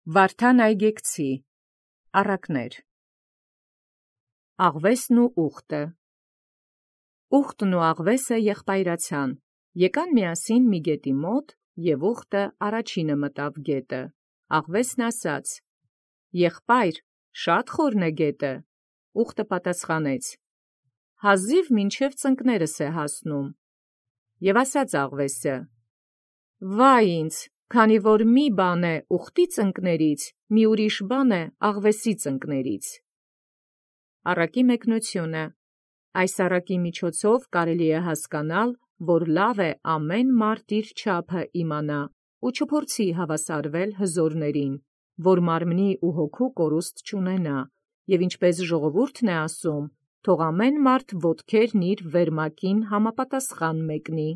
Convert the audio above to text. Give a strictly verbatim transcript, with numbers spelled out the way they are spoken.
Վարդան այգեկցի առակներ։ Աղվեսն ու ուխտը։ Ուխտն ու աղվեսը եղբայրացան, եկան միասին մի գետի մոտ, և ուխտը առաջինը մտավ գետը։ Աղվեսն ասաց. «Եղբայր, շատ խորն է գետը»։ Ուխտը պատասխանեց. «Հազիւ մինչև ծնկներս է հասնում»։ Եւ ասաց աղվեսը. «Վայ ինձ, քանի որ մի բան է ուխտի ծնկներից, մի ուրիշ բան է աղվեսի ծնկներից»։ Առակի մեկնությունը։ Այս առակի միջոցով կարելի է հասկանալ, որ լավ է ամեն մարդ իր չափը իմանա ու չփորձի հավասարվել հզորներին, որ մարմնի ու հոգու կորուստ չունենա, և ինչպես ժողովուրդն է ասում, թող ամեն մարդ ոտքերն իր վերմակին համապատասխան մեկնի։